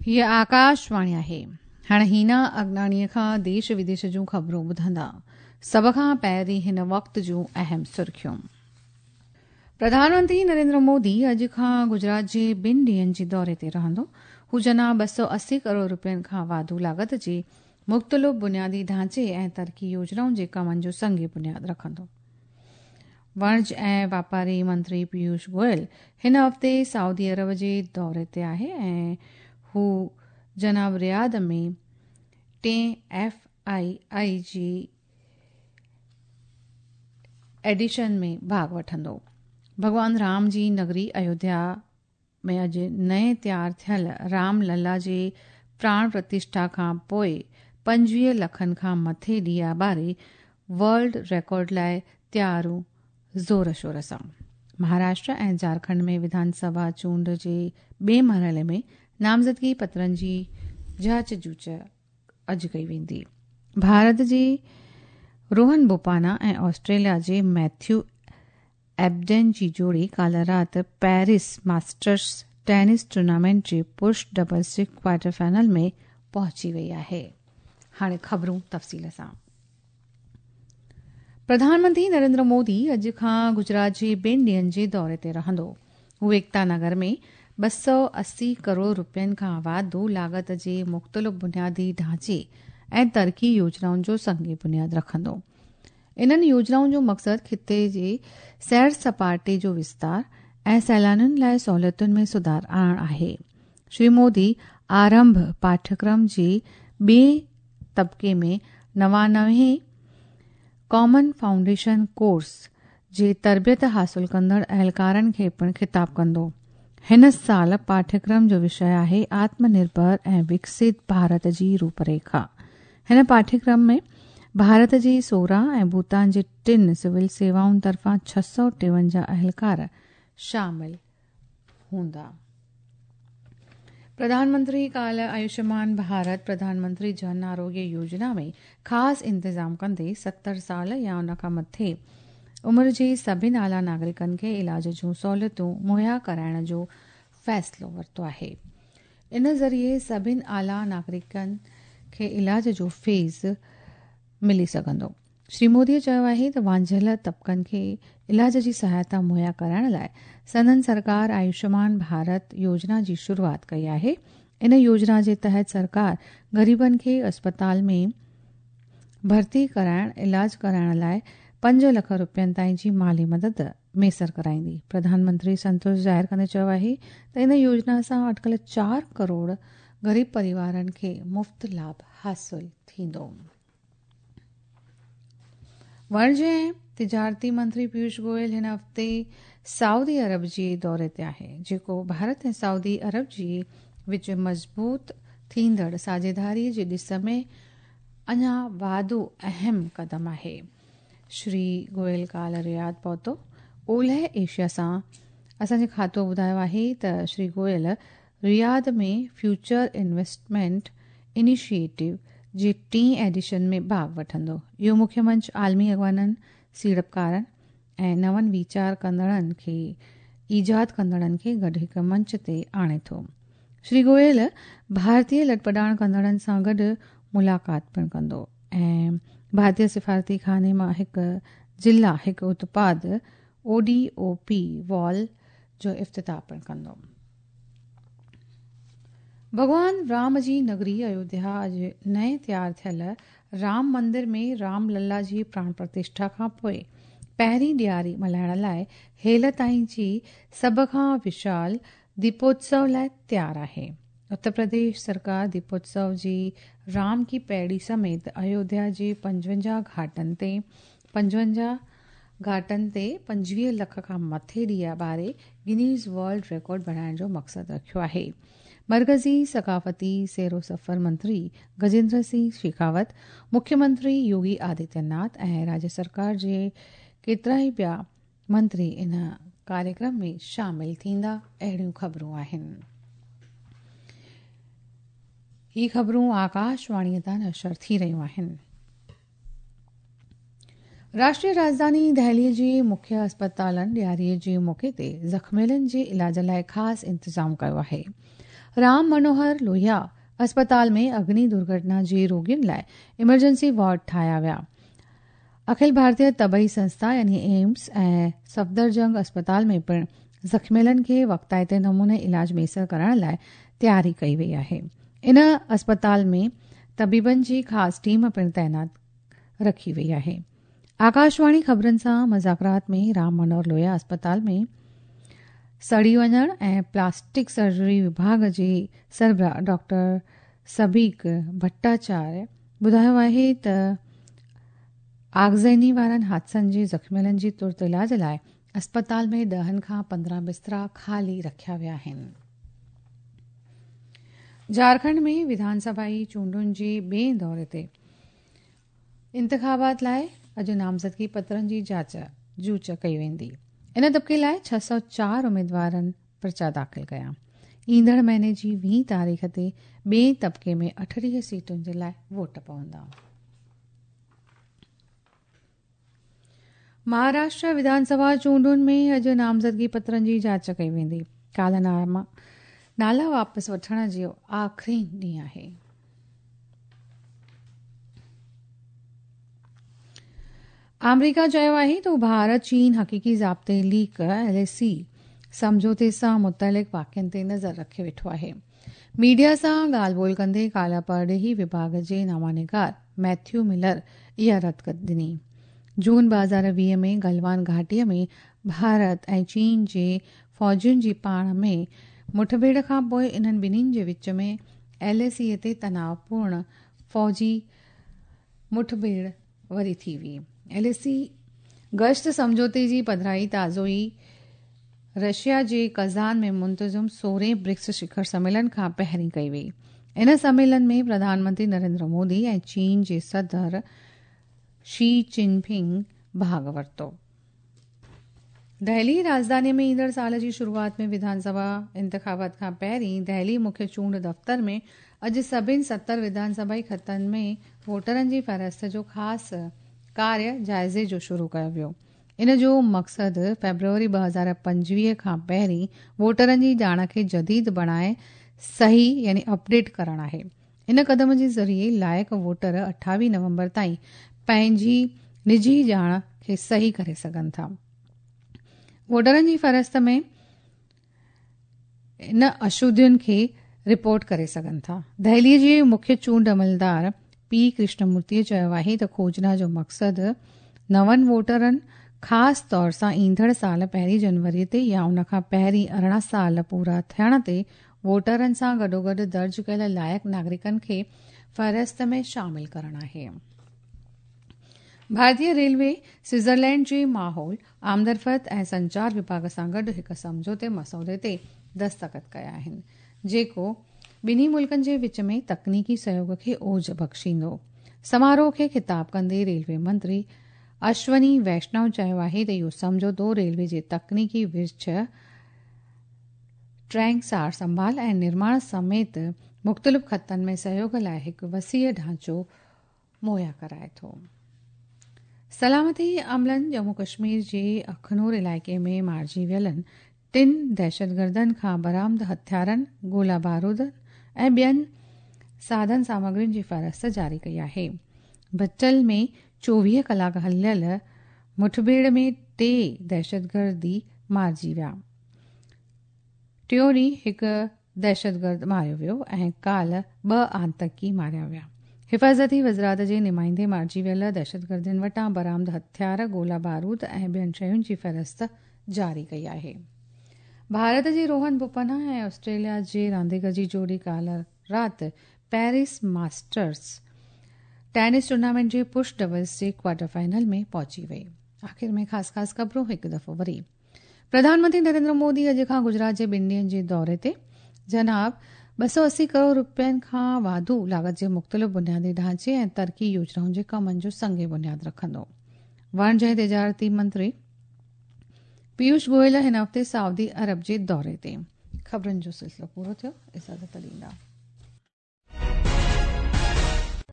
هيء آڪاشواڻي آهي. هاڻ هينا اگناڻيء کان ديش وديش جون خبرون ٻڌندا. سڀ کان پهرين هن وقت جون اهم سرخيون. پرڌان منتري نريندر مودي اڄ کان گجرات جي ٻن ڏينهن جي دوري تي رهندو. هو جناب 280 ڪروڙ رپين کان واڌو لاڳت جي مختلف بنيادي ڍانچي ۽ ترقي يوجنائن جي ڪمن جو سنگ بنياد رکندو. وڻج ۽ واپاري منتري پيوش گويل هن هفتي سعودي عرب جي دوري تي آهي ۽ هو جناب رياض ۾ ٽئين ايف I آء جي ايڊيشن ۾ ڀاڳ وٺندو. ڀڳوان رام جي نگري ايوڌيا ۾ اڄ نئين تيار ٿيل رام للا جي پراڻ پرتشٺا کان پوء 25 لکن کان مٿي ڏيئا ٻاري ورلڊ ريڪارڊ لاء تياريون زور شور سان. مهاراشٽر ۽ جهارکنڊ ۾ وڌان سڀا چونڊ جي ٻئي مرحلي ۾ نامزدگي پترن جي جاچ جوچ اڄ ڪئي ويندي. ڀارت جي روهن بوپانا ۽ آسٽريليا جي ميٿيو ايبڊن جي جوڙي ڪالهه رات پيرس ماسٽرز ٽينس ٽورنامينٽ جي پرش ڊبلز جي ڪوارٽر فائنل ۾ پهچي وئي آهي. هاڻي خبرون تفصيل سان. پرڌان منتري نريندر مودي اڄ کان گجرات جي ٻن ڏينهن جي دوري تي رهندو. هو ايڪتا نگر ۾ 280 ڪروڙ رپين کان واڌو لاڳت جي مختلف بنيادي ڍانچي ۽ ترقي يوجنائن جو سنگ بنياد رکندو. انهن يوجنائن جو مقصد خطي جي سير سپاٽي جو وستار ۽ سيلانين لاء سهولتن ۾ سڌار آڻڻ آهي. شري مودي آرنڀ پاٺيڪرم جي ٻئي طبقي ۾ 99 ڪامن فائونڊيشن ڪورس جي تربيت حاصل ڪندڙ اهلڪارن کي پڻ خطاب ڪندو. هن سال پاٺيڪرم جو وشي آهي آتم نرڀر ۽ وڪست ڀارت جي روپريکا. هن پاٺيڪرم ۾ ڀارت جي 16 ۽ ڀوتان جي ٽن سول سيوائن طرفان 653 اهلڪار شامل هوندا. پرڌان منتري ڪالهه آيوشمان ڀارت پرڌان منتري جن آروگيه يوجنا ۾ خاص انتظام ڪندي 70 سال يا ان کان مٿي عمر جي سڀني اعليٰ ناگرڪن کي علاج جون سهولتون مهيا ڪرائڻ جو فيصلو ورتو آهي. ان ذريعي سڀني اعليٰ ناگرڪن کي علاج جو فيض ملي سگهندو. شري مودي چيو آهي ته وانجهيل طبقن کي علاج جي سهائتا مهيا ڪرائڻ لاء سندن سرڪار آيوشمان ڀارت يوجنا جي شروعات ڪئي آهي. ان يوجنا جي تحت سرڪار غريبن کي اسپتال ۾ ڀرتي ڪرائڻ علاج ڪرائڻ لاء 5 لک رپين تائين جي مالي مدد ميسر ڪرائيندي. پرڌان منتري سنتوش ظاهر ڪندي چيو آهي ته ان يوجنا سان اٽڪل 4 ڪروڙ غريب پريوارن کي مفت لاڀ حاصل ٿيندو. وڻج ۽ تجارتي منتري پيوش گويل هن هفتي سعودي عرب جي دوري تي آهي، جيڪو ڀارت ۽ سعودي عرب جي وچ مضبوط ٿيندڙ ساجهيداري جي ڏس ۾ اڃا واڌو اهم قدم آهي. شري گويل ڪالهه رياض پهتو. اولهه ايشيا سان اسان جي کاتو ٻڌايو آهي ته Shri Goyal Riyadh ۾ future investment initiative جي ٽئين ايڊيشن ۾ ڀاڳ وٺندو. اهو مکيه منچ عالمي اڳواڻن، سيڙپڪارن ۽ نون ويچار ڪندڙن کي ايجاد ڪندڙن کي گڏ هڪ منچ تي آڻي ٿو. شري گويل ڀارتي لڏپلاڻ ڪندڙن سان گڏ ملاقات پڻ ڪندو ۽ ڀارتي سفارتي خاني مان هڪ ضلع هڪ اتپاد O D O P wall جو افتتاح پڻ ڪندو. ڀڳوان رام جي نگري ايوڌيا اڄ نئين تيار ٿيل رام مندر ۾ رام للا جي پراڻ پرتشٺا کان پوء پهرين ڏياري ملهائڻ لاء هيل تائين جي سڀ کان وشال ديپوتسو لاء تيار آهي. اتر پرديش سرڪار ديپوتسو جي رام ڪي پيڙي سميت ايوڌيا جي 55 گهاٽن تي 55 گهاٽن تي 25 لک کان مٿي ڏيئا ٻاري گنيز ورلڊ ريڪارڊ بڻائڻ جو مقصد رکيو آهي. مرڪزي ثقافتي سير و سفر منتري گجيندر سنگهه شيخاوت، مکيه منتري يوگي آدتيه ناٿ ۽ راجيه سرڪار جي ڪيترائي ٻيا منتري ان ڪاريڪرم ۾ شامل ٿيندا، اهڙيون خبرون آهن. هي خبرون آڪاشواڻي تان نشر ٿي رهيون آهن. راشٽريه راڄڌاني دهلي جي مکيه اسپتالن ڏياري جي موقعي تي زخميلن جي علاج لاء خاص انتظام ڪيو آهي. رام منوهر لوهيا اسپتال ۾ اگني درگهٽنا جي روڳين لاءِ ايمرجنسي وارڊ ٺاهيا ويا. اکل ڀارتيه طبي سنسٿا يعني ايمس ۽ صفدرجنگ اسپتال ۾ پڻ زخميلن کي وقتائتي نموني علاج ميسر ڪرڻ لاءِ تياري ڪئي وئي آهي. ان اسپتال ۾ طبيبن جي خاص ٽيم پڻ تعينات رکي وئي آهي. آڪاشواڻي خبرن سان مذاڪرات ۾ رام منوهر لوهيا اسپتال ۾ سڙي وڃڻ ۽ پلاسٽڪ سرجري وڀاڳ جي سربراهه ڊاڪٽر سبيڪ ڀٽاچاريه ٻڌايو آهي ته آگزني وارن حادثن جي زخميلن جي ترت علاج لاءِ اسپتال ۾ 10 کان 15 بسترا خالي رکيا ويا آهن. جهارکنڊ ۾ وڌانسڀائي چونڊن جي ٻئي دوري تي انتخابات لاءِ اڄ نامزدگي پترن جي جاچ جوچ ڪئي ويندي. ان طبقي لاءِ 604 اميدوارن پرچا داخل ڪيا. ايندڙ مهيني جي 20 تاريخ تي ٻئي طبقي ۾ 38 سيٽن جي لاءِ ووٽ پوندا. مهاراشٽر وڌانسڀا چونڊن ۾ اڄ نامزدگي پترن جي جاچ ڪئي ويندي. ڪالهه نالا واپس وٺڻ جو آخري ڏينهن آهي. آمريڪا چيو آهي ته ڀارت چين حقيقي ضابطي ليڪ ايل اي سي سمجهوتي سان متعلق واقعن تي نظر رکي ويٺو آهي. ميڊيا سان ڳالهه ٻولهه ڪندي ڪالهه پرڏيهي وڀاڳ جي نامانگار ميٿيو ملر اها رد ڏني. جون 2020 ۾ گلوان گهاٽيءَ ۾ ڀارت ۽ چين جي فوجين جي پاڻ ۾ مٺڀيڙ کان پوءِ انهن ٻنهين جي وچ ۾ ايل اي سي تي تناءُ پورڻ فوجي مٺڀيڙ وري ٿي وئي. ايل اي سي گشت سمجهوتي جي پڌرائي تازو ئي رشيا جي ڪزان ۾ منتظم 16هين برڪس شکر سميلن کان پهرين ڪئي وئي. ان سميلن ۾ پرڌان منتري نريندر مودي ۽ چين جي صدر شي چن پنگ ڀاڳ ورتو. دهلي راڄڌاني ۾ ايندڙ سال جي شروعات ۾ وڌانسڀا انتخابات کان پهرين دهلي مکيه چونڊ دفتر ۾ اڄ سڀني 70 وڌانسڀائي خطن ۾ ووٽرن جي فهرست جو خاص ڪاريه جائزي جو شروع ڪيو ويو. ان جو مقصد فيبروري 2025 کان پهرين ووٽرن جي ڄاڻ کي جديد بڻائي صحيح يعني اپڊيٽ ڪرڻ آهي. ان قدم جي ذريعي لائق ووٽر 28 نومبر تائين پنهنجي نجي ڄاڻ کي صحيح ڪري سگهن ٿا. ووٽرن جي فهرست ۾ ان اشڌين کي رپورٽ ڪري سگهن ٿا. دهلي جي مکيه چونڊ عملدار پي ڪرشنمورتي چيو آهي ته کوجنا جو مقصد نون ووٽرن خاص طور سان ايندڙ سال 1 جنوري تي يا ان کان پهرين 18 سال پورا ٿيڻ تي ووٽرن سان گڏوگڏ درج ڪيل لائق ناگرڪن کي فهرست ۾ شامل ڪرڻ آهي. ڀارتيه ريلوي سوئٽزرلينڊ جي ماحول، آمدرفت ۽ سنچار وڀاڳ سان گڏ هڪ سمجهوتي مسودي تي دستخط ڪيا آهن، جيڪو ٻنهي ملڪن جي وچ ۾ تڪنيڪي سهيوڳ کي اوج بخشيندو. سماروهه کي خطاب ڪندي ريلوي منتري اشوني ويشنو چيو آهي ته اهو سمجهوتو ريلوي جي تڪنيڪي ورڇ، ٽريڪ سار سنڀال ۽ نرماڻ سميت مختلف خطن ۾ سهيوڳ لاءِ هڪ وسيع ڍانچو مهيا ڪرائي ٿو. سلامتي عملن ڄمون ڪشمير جي اکنور علائقي ۾ مارجي ويلن 3 دهشتگردن کان برآمد هٿيارن، گولا بارود ۽ ٻين ساڌن سامگرين جي فهرست جاري ڪئي آهي. بچل ۾ 24 ڪلاڪ هليل مٺڀيڙ ۾ 3 دهشتگردي مارجي ويا. ٽيون ڏينهن هڪ دهشتگرد ماريو ويو ۽ ڪالهه 2 آتنڪي ماريا ويا. حفاظتي وزارت جي نمائندي مارجي ويل دهشتگردن وٽان برآمد هٿيار، گولا بارود ۽ ٻين شين جي فهرست جاري ڪئي آهي. ڀارت جي روهن بوپنا ۽ آسٽريليا جي رانديگر جي جوڙي ڪالهه رات پيرس ماسٽرز ٽينس ٽورنامينٽ جي پش ڊبلز جي ڪوارٽر فائنل ۾ پهچي وئي. آخر ۾ خاص خاص خبرون هڪ دفعو وري. پرڌان منتري نريندر مودي اڄ کان گجرات جي 2 ڏينهن جي دوري تي. جناب 280 ڪروڙ رپين کان واڌو لاڳت جي مختلف بنيادي ڍانچي ۽ ترقي يوجنائن جي ڪمن جو سنگ بنياد رکندو. وڻج ۽ تجارتي منتري پيوش گويل هن هفتي سعودي عرب جي دوري تي. خبرن جو سلسلو پورو ٿيو. اجازت ڏيندا.